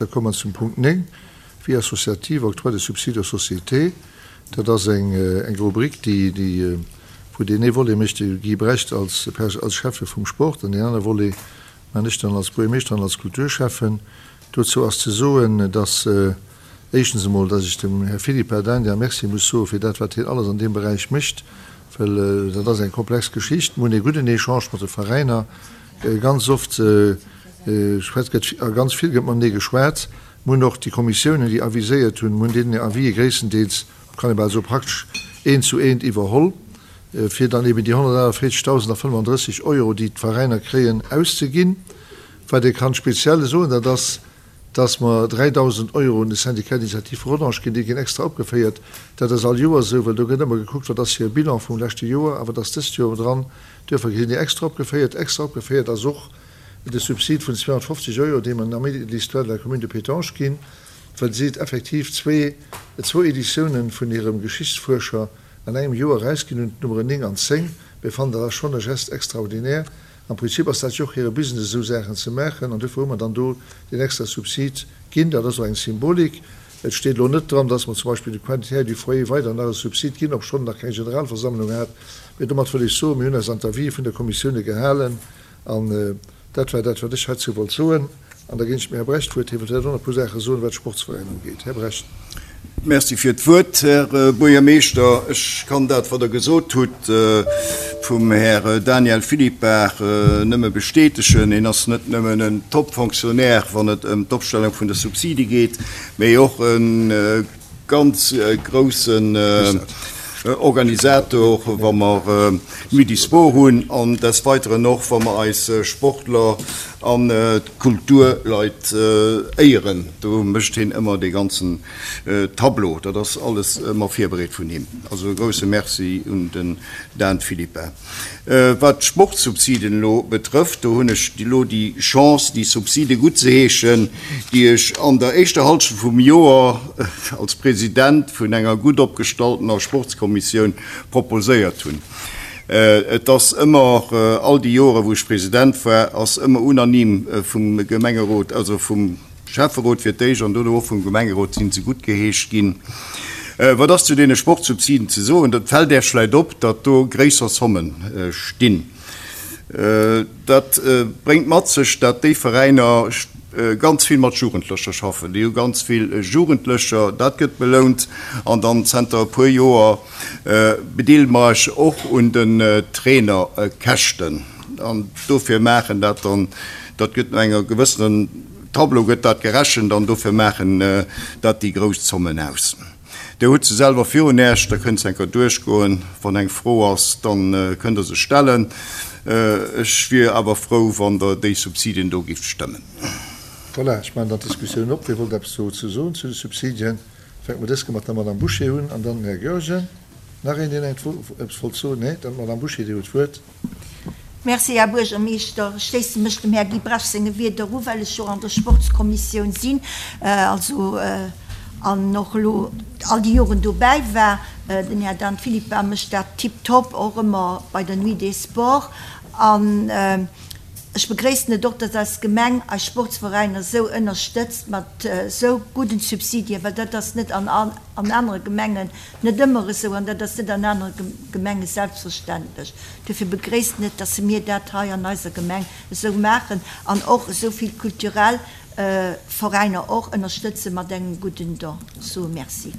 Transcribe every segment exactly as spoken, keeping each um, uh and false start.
Da komme mer zum Punkt néng, Vie associative, octroi de subsides aux sociétés. Dat ass eng, eng Rubrik, déi, déi, wou deen ee Volet mécht de Guy Brecht als, als Schäffe vum Sport an deen anere Volet man ech dann als Buergermeeschter an als Kulturschäffen. Dozou ass ze soen, dass éischtens emol, dass ech dem Här Philippe Ardagna Merci muss soe fir dat, wat hien alles an deem Beräich mécht, well dat ass eng komplex Geschicht. Mir hunn ee gudden Echange mat de Veräiner. Ganz oft schwätzt, gëtt, a ganz vill gëtt matenee geschwat. Mir hunn och déi Kommissiounen, déi aviséiert hunn, mir hunn deenen hir Avisë gréisstendeels, kann ee bal soen, praktesch eent zu eent iwwerholl, fir dann eben déi honnertaachtvierzegdausend a fënnefandrësseg Euro, déi d'Veräiner kréien, auszeginn. Wat ee kann speziell soen, dat ass, dass mer dräidausend Euro un de Syndicat d'initiative Rodange ginn. Déi ginn extra opgeféiert. Dat ass all Joer esou, well do gëtt ëmmer gekuckt, wat ass hire Bilan vum leschte Joer a wat ass dëst Joer dran. Duerfir ginn déi extra opgeféiert. Extra opgeféiert ass och de Subsid vun zweehonnertfofzeg Euro, dee mer den Amis de l'histoire de la commune de Pétange ginn, well si effektiv zwee, zwou Editiounen vun hirem Geschichtsfuerscher an engem Joer erausginn hunn, d'Nummeren néng an zéng. Mir fannen, dat ass schonn e Geste extraordinaire. Am Prinzip ass dat jo och hire Business, esou Saachen ze maachen, an duerfir hu mer dann do deen extra Subsid ginn. Dat ass och eng Symbolik. Et steet elo net dran, dass mer zum Beispill de Quintetière du Foyer weider nach e Subsid ginn, obschonn en nach keng Generalversammlung hat. Mee domat wëll ech soen, mir hunn eis an d'Avisë vun der Kommissioune gehalen an dat war dat, wat ech heizou wollt soen. An da ginn ech dem Här Brecht d'Wuert. Hie wëllt vläicht och nach e puer Saache soen, wat d'Sportsveräiner ugeet. Här Brecht. Merci fir d'Wuert, Här Buergermeeschter. Ech kann dat, wat Der gesot hutt vum Här Daniel Philippart, nëmme bestätegen. Hien ass net nëmmen en Top-Fonctionnaire, wann et ëm d'Opstellung vun de Subside geet, mee och e ganz groussen Organisator, wa mer d'Nuit du Sport hunn an des Weiteren och, wa mer eis Sportler an d'Kulturleit éieren. Do mécht hien ëmmer dee ganzen Tableau. Dat ass alles ëmmer virbereet vun him. Also e grouse Merci un den Dan Philippin. Wat d'Sportsubsiden elo betrëfft, do hunn ech elo déi Chance, déi Subside guttzeheeschen, déi ech an der éischter Halschent vum Joer als President vun enger gutt opgestalltener Sportskommissioun proposéiert hunn. Et ass ëmmer, all déi Jore wou ech President war, ass ëmmer unanime vum Gemengerot, also vum Schäfferot fir d'éischt an dono och vum Gemengerot sinn se guttgeheescht ginn. Wat ass zu deene Sportsubsiden ze soen? Et fält Äech vläicht op, datt do gréisser Somme stinn. Dat bréngt mat sech, datt déi Veräiner ganz vill mat Jugendlecher schaffen. Déi hu ganz vill Jugendlecher, dat gëtt belount. An dann zenter e puer Joer bedeele mer eis och un den Trainerkäschten. An dofir maachen dat dann, dat gëtt no enger gewëssenen Tableau gëtt dat gerechent an dofir maachen dat déi grouss Zommen aus. Dir hutt se selwer virun Äech, da kënnt se eng Kéier duerchgoen. Wann eng Fro ass, da kënnt Der se stellen. Ech wier awer frou, wann Der déi Subsidien do gifft stëmmen. Voilà, ech maachen dann d'Diskussioun op. Wie wollt eppes dozou soen, zu de Subsidien? Fänke mer dës Kéier mat der Madame Bouché un an dann den Här Goergen. Nach een, deen eppes wollt soen? Nee, dann d'Madame Bouché, Dir hutt d'Wuert. Merci, Här Buergermeeschter. Ech schléisse mech dem Här Guy Bresch senge Wierder u, well ech jo an der Sportskommissioun sinn, also an och elo all déi Joren dobäi war. Den Här Dan Philippa mécht dat tiptop, och ëmmer bei der Nuit des Sports. An ech begréissen et och, dass eis Gemeng eis Sportsveräiner esou ënnerstëtzt mat esou gudden Subsidien, well dat ass net an anere Gemengen net ëmmer esou an dat ass net an anere Gemenge selbstverständlech. Duerfir begréissen et, dass mir dat hei an eiser Gemeng esou maachen an och esou vill kulturell Veräiner och ënnerstëtze mat engem gudden Don. Ech soe Merci.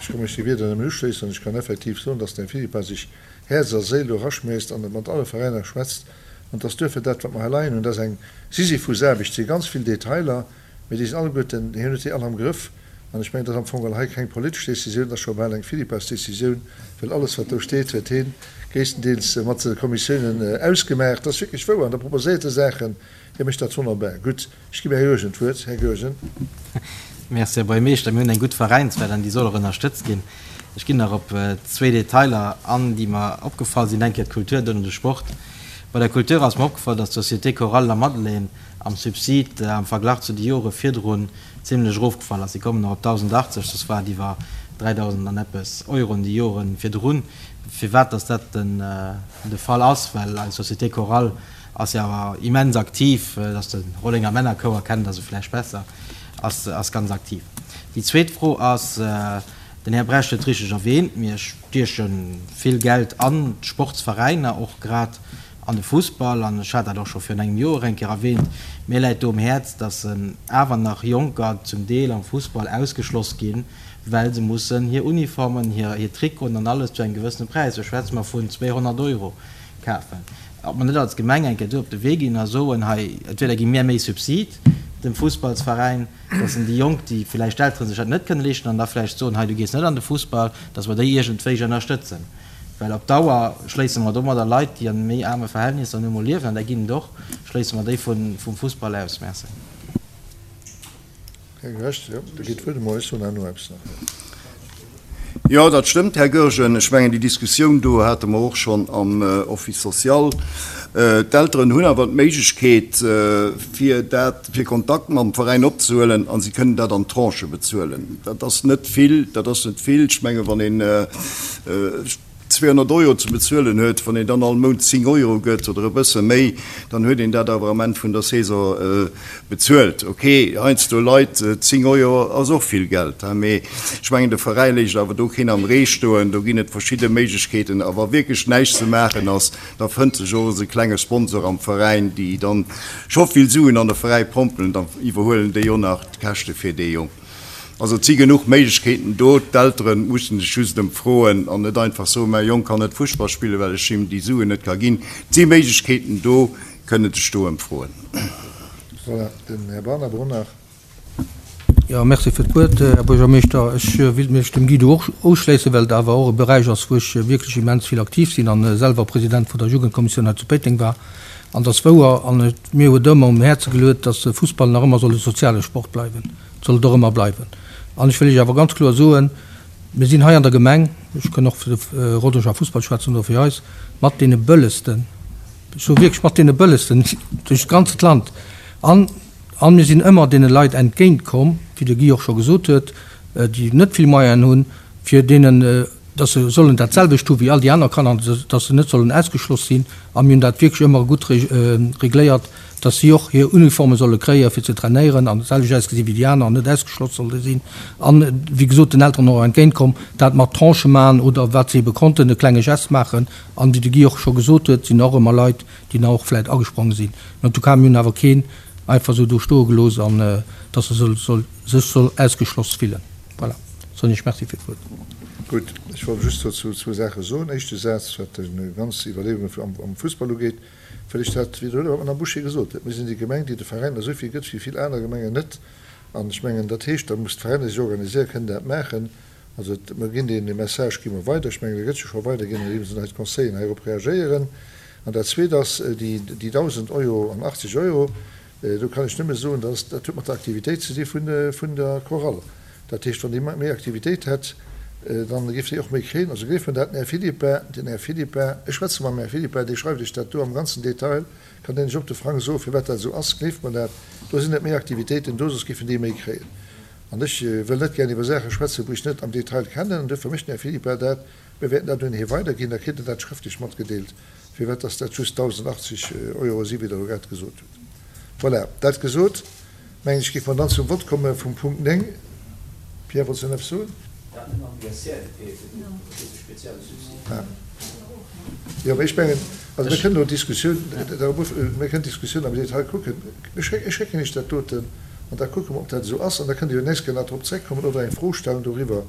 Ech ka mech de Wierder nëmmen uschléissen an ech kann effektiv soen, dass den Här Philippart sech Häerz a Séil do eraschméisst an mat alle Veräiner schwätzt an dass duerfir dat, wat mer hei leien hunn, dat ass eng Sisyphusaarbecht, si ganz vill Detailer, mee déi sinn alleguerten, hien huet déi all am Grëff. An ech mengen, dat ass am Fong geholl hei keng politesch Décisioun, dat ass scho bal eng Philippas-Décisioun, well alles, wat do steet, huet hee gréisstendeels mat de Kommissiounen ausgemaach. Dat ass wierklech wouer. An da proposéiert e Saachen. Hie mécht dat wonnerbar gutt. Ech ginn dem Här Goergen d'Wuert. Här Goergen. Merci, Här Buergermeeschter. Mir hunn eng gutt Veräinswelt an déi soll och ënnerstëtzt ginn. Ech ginn nach op zwee Detailer an, déi mer opgefall sinn. Eng Kéier d'Kultur, duerno de Sport. Bei der Kultur ass mer opgefall, dass d'Société Chorale La Madeleine am Subsid am Verglach zu de Jore virdrun zimlech erofgefall ass. Si kommen nach op dausendachtzeg, soss war et iwwer dräidausend an eppes Euroen déi Jore virdrun. Firwat dass dat den de Fall ass, well eis Société Chorale ass jo awer immens aktiv, et ass de Rollenger Männerchouer, kennt Der se vläicht besser, ass, ass ganz aktiv. Déi zweet Fro ass, den Här Brecht huet richteg erwähnt, mir stieche vill Geld an d'Sportsveräiner, och grad an de Fussball, an ech hat dat och scho virun engem Joer eng Kéier erwähnt, mir läit do um Häerz, dass awer nach Jonker zum Deel am Fussball ausgeschloss ginn, well se mussen hir Uniformen, hir, hir Trikoten an alles zu engem gewëssene Präis, do schwätze mer vun zweehonnert Euro, kafen. Ob mer net als Gemeng eng Kéier do op de Wee ginn a soen, hei, entweder gi mir méi Subsid dem Fussballsveräin, dass en déi Jonk, déi villäicht d'Eltere sech dat net kënne leeschten, an da vläicht soen, hei, du gees net an de Fussball, dass mer déi iergendwéi ënnerstëtzen. Well op Dauer schléisse mer domadder Leit, déi an méi aarme Verhältnisser nu emol liewen, an där ginn et och, schléisse mer déi vum Fussball aus. Merci. Här Gresch, jo, da geet d'Wuert emol. Ech soen herno eppes nach. Jo, dat stëmmt, Här Goergen. Ech mengen, déi Diskussioun do hate mer och schonn am Office social. D'Elteren hunn awer d'Méiglechkeet, fir dat, fir Kontakt mam Veräin opzehuelen, a si kënnen dat an Tranchë bezuelen. Dat ass net vill, dat ass net vill. Ech mengen, wann een zweehonnert Euro ze bezuelen huet, wann een dann all Mount zéng Euro gëtt oder e bësse méi, dann huet een dat awer am Enn vun der Saison bezuelt. Ok, heiansdo Leit, zéng Euro ass och vill Geld, mee ech mengen, de Veräi léisst awer do keen am Ree stoen. Do ginn et verschidde Méiglechkeeten. A wa wierklech näischt ze maachen ass, da fënnt sech och esou e klenge Sponsor am Veräin, déi dann scho vill Suen an de Veräi pompelen, da iwwerhuelen déi och nach d'Käschte fir dee Jong. Also et si genuch Méiglechkeeten do, d'Eltere mussen sech just ëmfroen an net einfach soen, mäi Jong kann net Fussball spillen, well ech him déi Suen net ka ginn. Et si Méiglechkeeten do, kënne sech do ëmfroen. Voilà, den Här Barnabon nach. Jo, merci fir d'Wuert, Här Buergermeeschter. Ech wéilt mech dem Guido och uschléissen, well et awer och e Beräich ass, wou ech wierklech immens vill aktiv sinn a selwer President vun der Jugendkommissioun hei zu Péiteng war. An et ass wouer, an et mir huet ëmmer um Häerze geluet, dass de Fussball nach ëmmer soll e soziale Sport bleiwen. Et soll et och ëmmer bleiwen. An ech wëll Iech awer ganz kloer soen, mir sinn hei an der Gemeng, ech kënn och fir de Rodange Fussball schwätzen oder fir eis, mat deene bëllegsten, ech soe wierklech mat deene bëllegsten duerch d'ganzt Land. An, an mir sinn ëmmer deene Leit entgéintkomm, wéi de Guy och scho gesot huet, déi net vill Moyenen hunn, fir deenen, dass se sollen dat selwecht hu wéi all déi aner Kanner, dass se net sollen ausgeschloss sinn. A mir hunn dat wierklech ëmmer gutt regléiert, dass si och hir Uniforme solle kréien, fir ze trainéieren an d'selwecht ausgesi wéi déi aner an net ausgeschloss solle sinn. An, wéi gesot, den Elteren och entgéintkomm, dat mat Tranchë maachen oder wat se ebe konnten, e klenge Gest maachen. An, wéi de Guy och scho gesot huet, sinn och ëmmer Leit, déi nach och vläicht agespronge sinn. Mä en tout cas, mir hunn awer keen einfach esou do stoe gelooss an dass e sech soll ausgeschloss fillen. Voilà, soen ech Merci fir d'Wuert. Gutt, ech wollt just dozou zwou Saache soen. Éischte Saz, wat déi ganz Iwwerleeunge am Fussball ugeet, wëll ech dat widderhuelen, wat d'Madame Bouché gesot huet. Mir sinn déi Gemeng, déi de Veräiner esou vill gëtt wéi vill aner Gemengen net. An ech mengen, dat heescht, da muss d'Veräiner sech organiséieren, kënnen dat maachen. Also mer ginn dee Message gi mer weider. Ech mengen, dee gëtt jo scho weiderginn, andeems hei d'Conseilleren heirop reagéieren. An dat Zweet ass déi dausend Euro an achtzeg Euro. Do kann ech nëmme soen, dass dat huet mat der Aktivitéit ze di vun der Chorale. Dat heescht, wann déi méi Aktivitéit hätt, dann géif déi och méi kréien. Also gleeft mer dat, den Här Philippin, den Här Philippin, ech schwätze mam Här Philippin, dee schreift Iech dat do am ganzen Detail, kann deen Iech op de Frang soen, firwat dat esou ass. Gleeft mer dat, do sinn net méi Aktivitéiten do, soss géifen déi méi kréien. An ech wëll net gären iwwer Saache schwätzen, wou ech net am Detail kennen. An duerfir mécht den Här Philippin dat. Mir wäerten dat un hie weiderginn, da kritt en dat schrëftlech matgedeelt, firwat dass dat just dausendachtzeg Euro si wéi Der elo grad gesot hutt. Voilà, dat gesot, mengen ech, géife mer dann zum Vott komme vum Punkt néng. Pierre, wollts de nach eppes soen? Jo, mee ech mengen, also mir kënnen elo d'Diskussioun, mir kënnen d'Diskussioun am Detail kucken. Ech schécken Iech dat doten an da kucke mer, ob dat esou ass. An da kënnt Dir jo d'nächst Kéier nach drop zréckkommen oder eng Fro stellen doriwwer.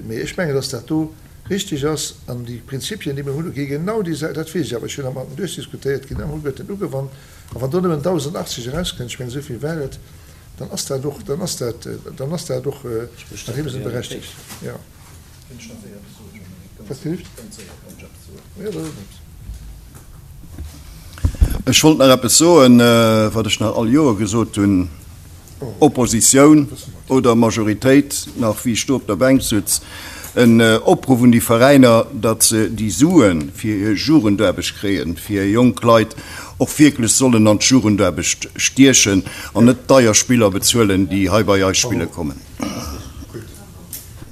Mee ech mengen, dass dat do richtig ass an déi Prinzipien, déi mir hunn, gi genau déi, dat weess ech awer, ech hunn dat mat en duerchdiskutéiert, ginn alleguerten ugewannt. A wann do nëmmen dausendachtzeg erauskënnt, ech mengen, esou vill war et, dann ass dat och, dann ass dat, dann ass dat och an deem Sënn berechtigt. Jo. Wat gelift? Jo, dat ass eppes. Ech wollt nach eppes soen, wat ech nach all Joer gesot hunn. Oppositioun oder Majoritéit, nach wéi ech do op der Bänk sutz, en Opruff un déi Veräiner, datt se déi Sue fir hir Jugendaarbecht kréien, fir hir jonk Leit och wierklech sollen an d'Jugendaarbecht stiechen an net deier Spiller bezuelen, déi hei bei eis spille kommen. Gutt,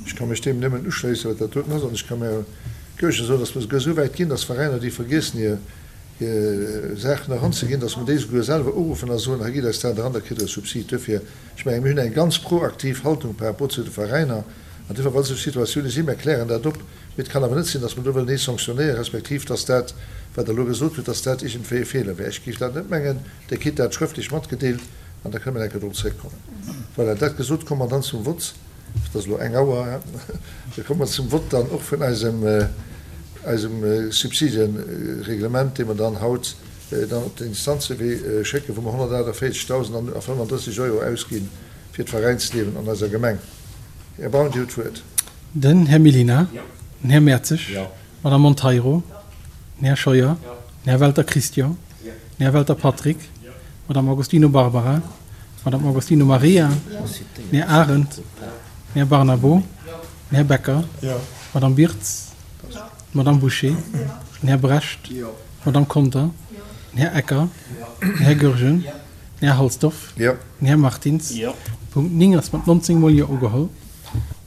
ech ka mech deem nëmmen uschléissen, wat dat doten ass. An ech ka mär Goergen soen, datt mer souguer esou wäit ginn, datt Veräiner, déi vergiessen hir Saachen eranzeginn, dass mer déi souguer selwer uruffen a soen, hei gitt eis dat eran, da kritt Der e Subsid. Duerfir, ech mengen, mir hunn eng ganz proaktiv Haltung par rapport zu de Veräiner an duerfir, wa sou Situatioune sinn, mir klären dat op. Mee et kann awer net sinn, dass mer do wëllen ee sanktionéieren, respektiv dass dat, wat Der elo gesot hutt, dass dat iergendwéi e Feeler wär. Ech géif dat net mengen. Dir kritt dat schrëftlech matgedeelt an da kënne mer eng Kéier drop zréckkommen. Voilà, dat gesot, komme mer dann zum Vott. Et ass elo eng Auer. Da komme mer zum Vott dann och vun eisem, eisem Subsidienreglement, dee mer dann haut dann op den Instanzewee schécken, wou mer honnertaachtavéierzegdausend a fënnandrësseg Euro ausgi fir d'Veräinsliewen an eiser Gemeng. Här Braun, Dir hutt d'Wuert. Den Här Mellina. Den Här Mertzig. D'Madame Monteiro. Den Här Scheuer. Den Här Welter Christian. Den Här Welter Patrick. D'Madame Agostino Barbara. D'Madame Agostino Maria. Den Här Arendt. Den Här Barnabo. Den Här Becker. D'Madame Birtz. D'Madame Bouché. Den Här Brecht. D'Madame Conter. Den Här Ecker. Den Här Goergen. Den Här Halsdorf. Den Här Martins. Punkt néng ass mat nonzéng Mol Jo ugeholl.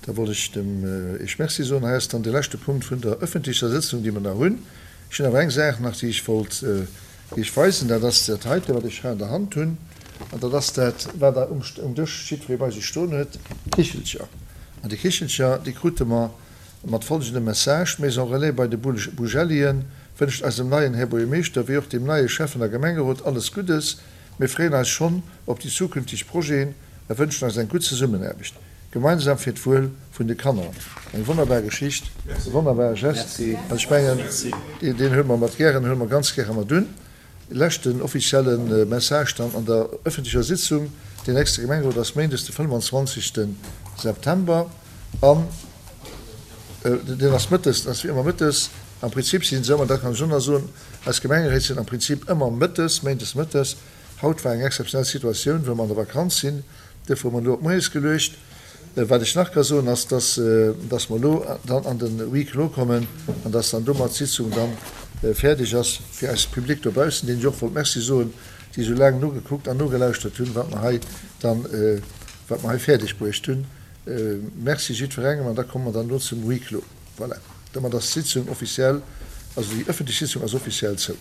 Da wollt ech dem Iech Merci soen. Hei ass dann de leschte Punkt vun der öffentlecher Sëtzung, déi mer nach hunn. Ech hunn awer eng Saach nach, déi ech wollt Iech weisen. Dat ass dat heite, wat ech hei an der Hand hunn. An dat ass dat, wat Der um Dësch jiddweree bei sech stoen huet, Kichelcher. An déi Kichelcher, déi krute mer mat folgendem Message, D'Maison Relais bei de Bugellien wënscht eisem neien Här Buergermeeschter wéi och dem neie Schäffen a Gemengerot alles Guddes. Mir freeën eis schonn op déi zukünfteg Projeten a wënschen eis eng gutt Zesummenaarbecht, gemeinsam fir d'Wuel vun de Kanner. Eng wonnerbar Geschicht, e wonnerbare Gest an ech mengen, deen huele mer mat gären, huele mer ganz gäre mat un. Leschten offizielle Message dann an der öffentlecher Sitzung, Deen nächste Gemengerot ass méindes de fënnwandzwanzegste September an deen ass mëttes, dat ass wéi ëmmer mëttes. Am Prinzip sinn se ëmmer, dat kann ech och nach soen, eis Gemengeréit sinn am Prinzip ëmmer mëttes, méindes mëttes. Haut war eng exzeptionell Situatioun, well mer an der Vakanz sinn, duerfir hu mer elo op moies geluecht. Wat ech nach ka soen, ass, dass, dass mer elo dann an de Huis clos kommen an dass dann domat d'Sitzung dann fäerdeg ass fir eise Public dobaussen, deenen ech och wollt Merci soen, déi esou laang nogekuckt an nogelauschtert hunn, wat mer hei dann, wat mer hei fäerdeg bruecht hunn. Merci jiddwerengem an da komme mer dann elo zum Huis clos. Voilà, domat ass d'Sitzung offiziell, also déi öffentlech Sitzung ass offiziell zou.